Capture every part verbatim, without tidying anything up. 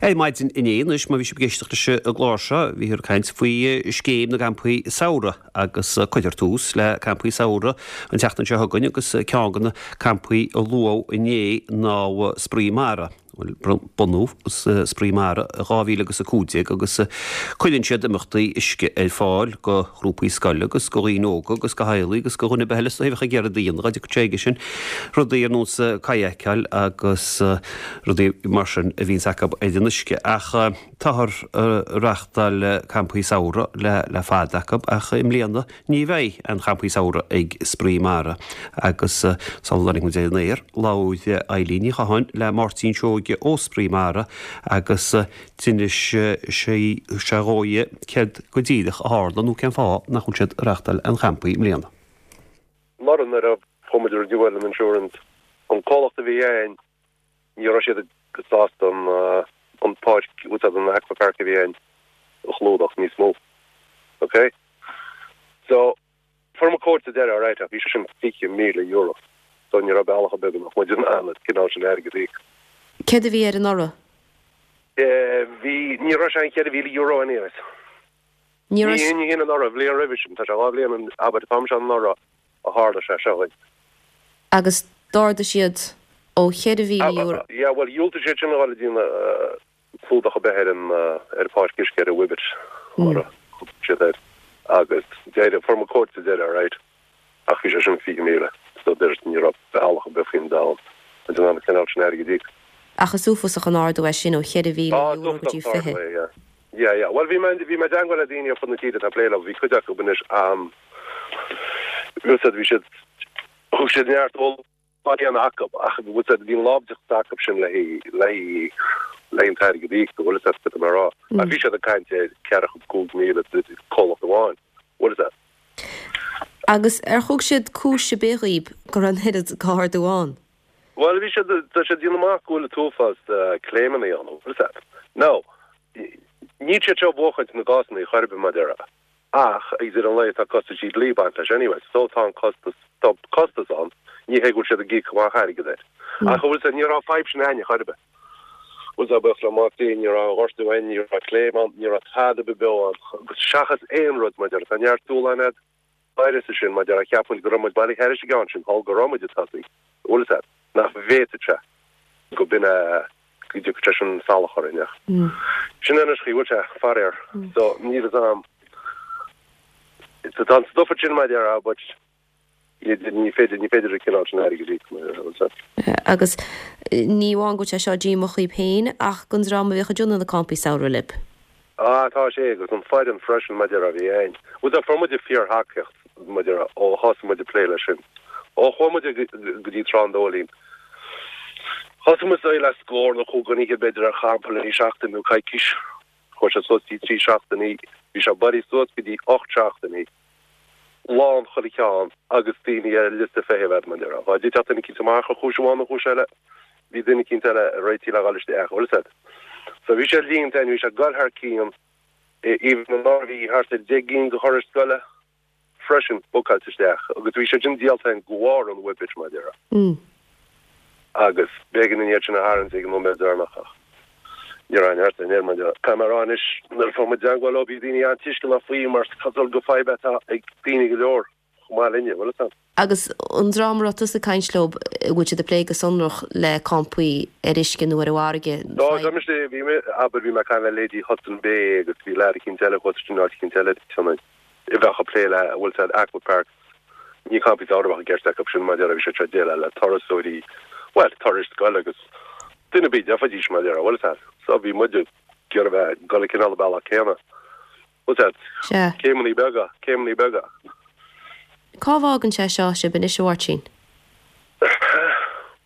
Ar maidin inné anois má bhí sibh ag éisteacht leis an gclár seo bhíothar ag caint faoi scéim na gcampaí samhraidh agus cuirfear tús le campaí samhraidh an tseachtain seo chugainn agus ceann de na campaí a luadh inné ná Spraoi Mara. Bunaíodh Spraoi Mara dhá mhíle agus a cúig déag agus cuireann siad imeachtaí uisce ar fáil go ghrúpaí scoile agus go dhaoine óga agus go theaghlaigh agus go dhuine ar bith eile a bheadh ag iarraidh a dhéanamh dá dtiocfadh sé chuige sin. Rudaí ar nós kayakáil agus rudaí mar sin a bhíonns acu ar an uisce. Ach táthar ag reáchtáil campaí samhraidh le le fada acu ach i mbliana ní bheidh aon champaí samhraidh ag Spraoi Mara agus sula dtáinig muid ar an aer labhair Eilín Ní Chatháin le Máirtín Seoige ó Spraoi Mara agus d'inis sé sé dhóibh céard go díreach a tharla nó cén fáth nach bhfuil siad ag reáchtáil aon champaí i mbliana. Anuraidh nuair a fuair muid renewal an insurance, an comhlacht a bhí ann, ní raibh siad sásta an an páirc, úsáid an aqua park a bhí ann a chlúdach níos mó. Ok? So, fuair muid quote sa deireadh, alright, ach bhí sé sin fiche míle euro. So ní raibh bealach ar bith go mbeadh muid in ann an cineál sin airgid a íoc. Céard a bhí air anuraidh? Eh, bhí, ní raibh sé an cheithre mhíle euro anyways. Ní raibh. Ní hin anuraidh, bhliain roimhe sin, tá sé dhá bhliain an, abair, tá sé anuraidh a tharla sé seo dhuit. Agus d'ardaigh siad ó cheithre mhíle euro. Yeah, bhuel, dhiúltaigh siad sin a dhul ag déanamh clúdach ar bith ar an ar an pháirc uisce ar an Wibit, mar a thug siad air. Agus deireadh, fuair muid quote sa deireadh, alright, ach bhí sé sin fiche míle, so deir ní raibh bealach ar bith faoin domhan in ann an cineál sin airgid a íoc. Ach is uafásach an ardú é sin ó cheithre mhíle Ah, euro go dtí is uafásach an fiche. t-ardú é, yeah. Yeah, yeah. Bhuel, bhí mé, bhí mé i dteagmháil le daoine ar fud na tíre atá ag plé leo, bhí cuid acu anois, um, bhí siad, bhí siad, thug siad neart eolais aon acu, ach bhí siad, bhí an láimhdeachas acu sin le haghaidh, le haghaidh, le haghaidh an t-airgead a íoc, bhfuil a fhios agat cad tá mé a rá. Ach bhí siad ag caint ar ceathracha cúig míle comhlacht amháin, bhfuil a fhios agat. Agus ar thug siad cúis ar bith dhaoib go raibh an oiread ardú ann? Bhuel, bhí siad, tá siad ag déanamh amach go bhfuil an t-uafás claimeanna ann, bhfuil a fhios agat. Now, níl siad seo ag buachaint na gcásanna chor ar bith mar a déarfá. Ach ag deireadh an lae tá costaisí dlí ag baint leis anyway, so tá an costas, tá costas ann, ní hé go bhfuil siad ag íoc amach airgead air. Ach bhfuil a fhios agat, ní raibh fadhb sin againne chor ar bith. Bhfuil a fhios agat, buíochas le Mac Dé, ní raibh gortú ann, ní raibh claim ann, ní raibh tada ar bith beo ann, agus seachas aon rud mar a déarfá, tá neart dúshláin a'd áirithe sin mar a déarfá, cheap muid go raibh muid bailithe thairis an gceann sin, thall go raibh muid ag tosaí, bhfuil a fhios agat, nach bhféadfadh sé go b'in é, go dtiocfadh sé sin salach orainn ach sin é anois chaoi bhfuil sé, faraor. So níl fhios a'm, tá an stuif sin mar a déarfá but ní féidir, ní féidir an cineál sin airgid a íoc mar a bhfuil a fhios agat. Agus ní amháin go bhfuil sé seo díomách dhaoib féin ach don dream a bhíodh ag déanamh na campaí samhraidh libh. Ah, tá sé, agus an foireann freisin mar a déarfá a bhí ann. Bhuel, tá, fuair muid fíor-thacaíocht mar a déarfá ó thosaigh muid ag plé leis sin. Ó chuaigh muid go dtí Trá an Dóilín. Thosaigh muid le scór nó cúig dhuine b'fhéidir ar champa le seachtain nó coicís. Chuaigh sé suas go dtí trí seachtainí, bhí sé bailithe suas go dtí ocht seachtainí. Lán chuile cheann agus daoine ar liosta feithimh agat mar a déarfá. Dá dtitfeadh duine eicínt amach ar chúis amháin nó chúis eile, bhí duine eicínt eile réitithe le dhul isteach, bhfuil a fhios agat. So bhí sé líonta ann, bhí sé ag dul thar cionn, even anuraidh bhí thart ar deich gcinn de thurais scoile freisin bookáilte isteach agus bhí sé sin díolta againn de bharr an Whippet mar a déarfá. Agus b'éigean dúinn iad sin a tharraingt ag an nóiméad deireanach ach ní raibh neart in air mar a déarfá. Caithfidh mé a rá anois nuair a fuair muid i dteagmháil leo bhí daoine an-tuisceanach faoi mar is cosúil gur fadhb atá ag daoine go leor chomh maith linne, bhfuil a fhios agat. Agus an dream a raibh tusa ag caint leo, an bhfuil siad ag plé go sonrach le campaí ar uisce nó ar an bhfarraige? Tá, tá mise, bhí mé, abair, bhí mé ag caint le leithéidí Hudson Bay agus bhí leaid eicínt eile thuas in áit eicínt eile i Sionainn a bheadh ag plé le, a bhfuil a fhios agat, aqua parks. Ní campaí samhraidh a bheadh i gceist acu sin mar a déarfá, bhí siad seo ag déileáil le turasóirí, bhuel, turais scoile agus duine ar bith a d'fhéadfaidís mar a déarfá, bhfuil a fhios agat. So bhí muid ag iarraidh bheith ag dul an cineál bealach céanna. Bhfuil a fhios agat, Sea. céimeanna beaga, céimeanna beaga. Cá bhfágann sé seo sibh anois, a Mháirtín?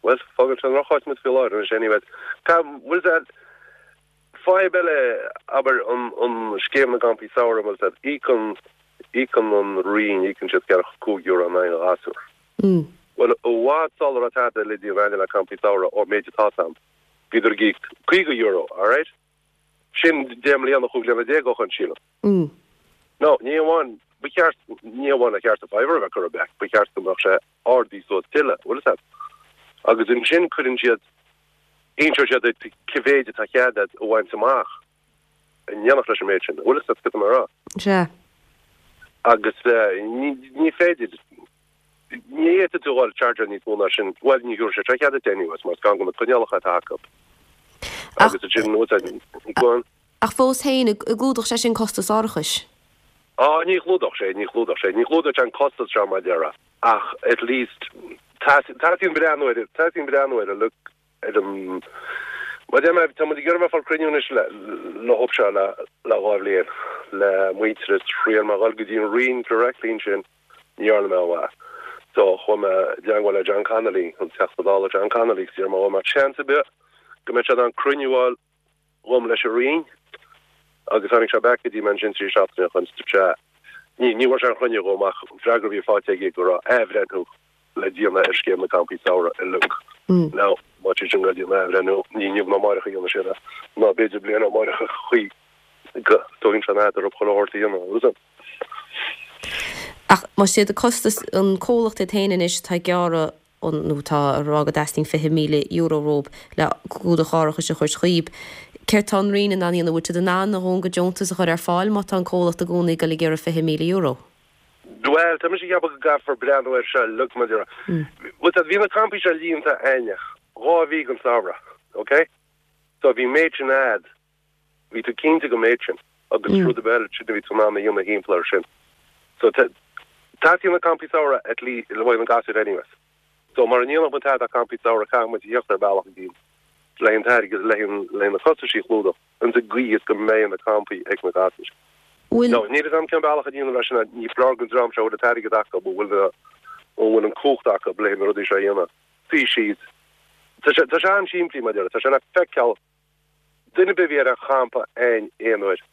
Bhuel, fágann sé i ndrocháit muid faoi láthair anois anyway. Tá, bhfuil a fhios agat, fadhb eile, abair, an, an scéim na gcampaí samhraidh, bhfuil a fhios agat, íocann, íocann an Roinn, íocann siad ceathracha cúig euro in aghaidh an ghasúir. Bhuel, i bhfad sula raibh tada le déanamh againne le campaí samhraidh ón méid atá ann, bhíodar ag íoc caoga euro, alright? Sin deich mbliana, chúig bliana déag ó shoin, sílim. Now, ní amháin, ba cheart, ní amháin ar cheart an fiver a bheith curtha back, ba cheart go mbeadh sé ardaithe suas tuilleadh, bhfuil a fhios agat. Agus ansin cuireann siad Inseoidh sé duit cé mhéid atá cead agat a bhaint amach in éineacht leis an méid sin. Bhfuil fhios agat cad tá mé a rá? Sea. Agus ní féidir, ní fhéadfaidh tú dhul charge níos mó ná sin, bhuel ní thabharfaidh sé seo cead duit anyways mar is ceann de na coinníollacha atá acu. Agus ansin, go on. Ach fós féin, an gclúdódh sé sin costas árachais? Á, ní chlúdódh sé, ní chlúdódh sé, ní chlúdódh sé an costas seo mar a déarfá, ach at least teastaíonn breathnú air, teastaíonn breathnú air, look, ar an, mar a deir mé, tá muid ag iarraidh bheith ag fáil cruinniú anois le, le hob seo le, le dhá bhliain, le Muintearas, thriail mé a dhul go dtí an Roinn directly ansin, ní dhearna mé aon mhaith. So chuaigh mé i dteangmháil le John Connolly, an Teachta Dála John Connolly, agus d'iarr mé an mbeadh seans ar bith go mbeadh sé in ann cruinniú a fháil dhom leis an Roinn agus tháinig sé back go dtí mé ansin trí seachtaine chun stop sé ní ní bhfuair sé an chruinniú dhom ach an freagra a bhí faighte aige go raibh athbhreithniú le déanamh ar scéim na gcampaí samhraidh uilig. Now má tá sin le déanamh athbhreithniú ní inniu ná amárach a dhéanfaidh siad é ná b'fhéidir bliain ó amárach a chaoi go dtógann sé an fhad orthu chuile shórt a dhéanamh bhfuil fhios agat. Ach más iad costas an comhlacht iad féin anois atá ag gearradh nó tá ag rá go dteastaíonn fiche míle euro uathu le clúdach árachais a thabhairt dhaoib. Céard tá an Roinn in ann a dhéanamh? Bhfuil siad in ann a dhóthain de dheontas a chur ar fáil má tá an comhlacht i gcónaí ag dul ag iarraidh fiche míle euro? Bhuel, tá mise ag ceapadh go gcaithfear breathnú air seo uilig mar a déarfá. Bhuel, tá, bhí na campaí seo líonta againne dhá mhí den samhradh, ok? So bhí méid sin a'd, bhí tú cinnte den méid sin agus rud ar bith eile sin a bhí tú in ann a dhéanamh thimpeall air sin. So teastaíonn na campaí samhraidh at least le haghaidh na gasúir anyways. So mara ndéanfaidh muid tada campaí samhraidh caithfidh muid a theacht ar bealach éigin le an t-airgead le le na costaisí a chlúdach ins an gcaoi is go mbeidh na campaí ag na gasúir. Bhfuil. Now níl fhios a'm cén bealach a dhéanamh leis sin ní foláir don dream seo a bhfuil an t-airgead acu an bhfuil na an bhfuil an cumhacht acu le na rudaí seo a dhéanamh. Suí síos. Tá sé tá sé an-simplí mar a déarfá tá sé le feiceáil duine ar bith a bhí ar an champa aon aon uair.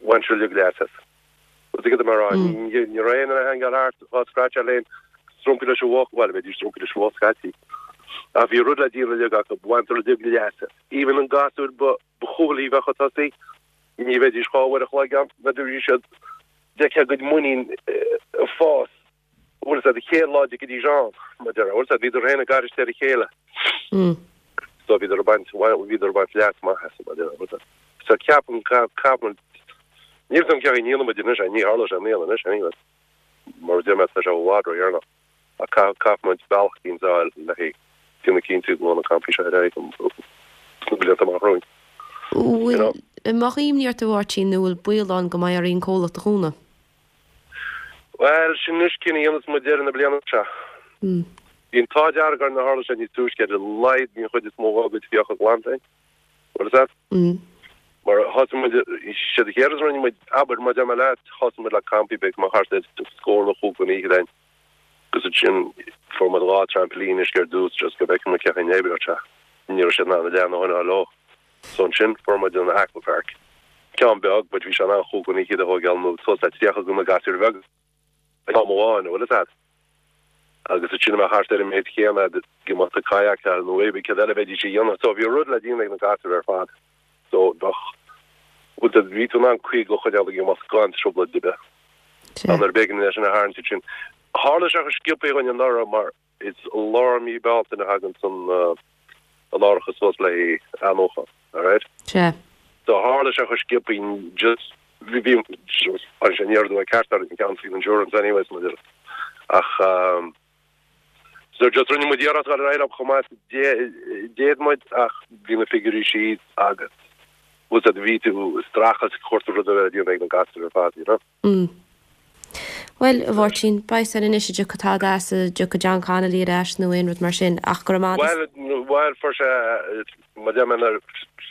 Bhain siad uilig leas as. Bhfuil fhios agat mar ní ní raibh aon duine ag hangáil thart dhá scratcháil aon strumpaí leis an bhfuacht, bhuel bheidís strumpaí leis an bhfuacht scaití. Ach bhí rud le déanamh uilig acu, bhain uilig leas as. Even an gasúr ba ba chúthailí bheadh chun tosaigh, ní bheidís dhá uair a chloig ann, bheidís siad d'fheicfeá a gcuid muinín ag fás. Bhfuil fhios agat an chéad lá a dtiocfaidís ann, mar a déarfá, bhfuil fhios agat, bhíodar féin ag aithris ar a chéile. So bhíodar ag baint, bhíodar ag baint leas maith as, mar a déarfá, bhfuil fhios agat. So ceapaim, ceapaim, níl fhios agam cén chaoi a ndéanfaidh muid anois é, ní tharlóidh sé i mbliana anois anyways, mar a deir mé, tá sé i bhfad ródheireanach. Ach caithfidh muid bealach éicint a fháil le déanamh cinnte go bhfuil na campaí seo ar aghaidh sna blianta amach romhainn. Bhfuil, an mbeadh imní ort a Mháirtín nó bhfuil baol ann go mbeidh oraibh an comhlacht a dhúnadh? Bhuel, sin anois cinneadh a dhéanfas muid deireadh na bliana seo. Bhí an t-ádh dearg orainn nár tharla sé níos túisce ar a laghad bhí an chuid is mó dá gcuid fiacha glanta againn. Bhfuil fhios agat? Mar thosaigh muid, siad an chéad rud a rinne muid, abair, mar a deir mé leat, thosaigh muid le campaí beag, mar thart ar scór nó chúig an oíche againn. Agus ansin fuair muid dhá trampoline uisce ar dtús just go bhfeicfeadh muid cén chaoi a n-oibreodh sé. Ní raibh siad in ann a leath a choinneáil leo. So ansin fuair muid an aquapark. Ceann beag, but bhí sé in ann chúig dhuine fhichead a thógáil nó suas le tríocha de na gasúir bheaga ag am amháin, bhfuil fhios agat. Agus ansin a mbeadh thart ar an méid chéanna ag imeacht ag kayakáil nó cibé céard eile a bheidís a dhéanamh. So bhí rud le déanamh ag na gasúir ar fad. So bheadh, bhuel bhí tú in ann caoga a choinneáil ag imeacht gan trioblóid ar bith. Ach nuair a b'éigean é sin a tharraingt ansin. Tharla sé chomh sciobtha dhúinn anuraidh mar is i lár mí Bealtaine a thagann an an árachas suas le haghaidh athnuachan, alright? Sea. So tharla sé chomh sciobtha just bhí bhí just tháinig sé aniar aduaidh ceart orainn an ceann faoin insurance anyways mar deir ach um, so just rinne muid iarracht dul ar aghaidh leo chomh maith is a d'fhéad muid ach bhí na figiúirí síos agus bhfuil fhios agat bhí tú ag streachailt ag cuartú rud a bheith le déanamh ag na gasúir ar fad, you know? Mm. Bhuel, a Mháirtín, beidh san anois an dtiocfaidh tada as, an dtiocfaidh John Connolly ar ais nó aon rud mar sin, ach go raibh maith agat. Bhuel, bhuel, fuair sé, mar a deir mé, nuair,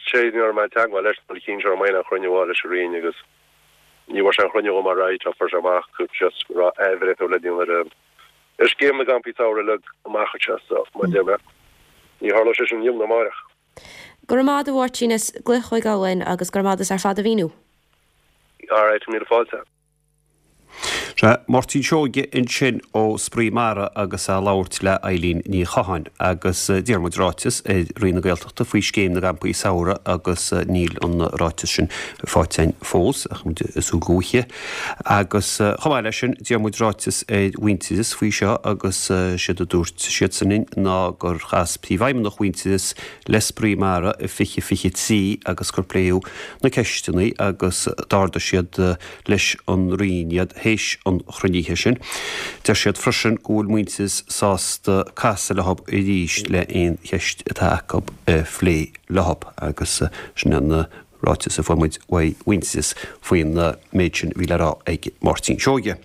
sé ní raibh mé i dteagmháil leis nuair a chinn sé orm aon chruinniú a fháil leis an Roinn agus ní bhfuair sé an chruinniú dhom alright ach fuair sé amach go just go raibh athbhreithniú le déanamh ar an, ar scéim na gcampaí samhraidh uilig amach anseo so, mar a deir mé, ní tharlóidh sé sin inniu ná amárach. Go raibh maith agat a Mháirtín as glaoch a thógáil uainn agus go raibh maith agat as ar fad a mhíniú. Alright, míle fáilte. Sea, Máirtín Seoige ansin ó Spraoi Mara agus é ag labhairt le Eileen Ní Chatháin agus d'iarr muid ráiteas ar Roinn na Gaeltachta faoi scéim na gcampaí samhraidh agus níl an ráiteas sin faighte againn fós ach muid ag súil go bhfaighidh. Agus chomh maith leis sin d'iarr muid ráiteas ar Mhuintearas faoi seo agus séard a dúirt siadsan linn ná gur chas Príomhfheidhmeannach Mhuintearas le Spraoi Mara i fiche fiche trí agus gur pléadh na ceisteanna agus d'ardaigh siad leis an Roinn iad théis an chruinnithe sin. Deir siad freisin go bhfuil Muintearas sásta casadh leo arís le aon cheist atá acu a phlé leo agus sin an ráiteas a fuair muid uaidh Mhuintearas faoin méid sin a bhí le rá ag Máirtín Seoige.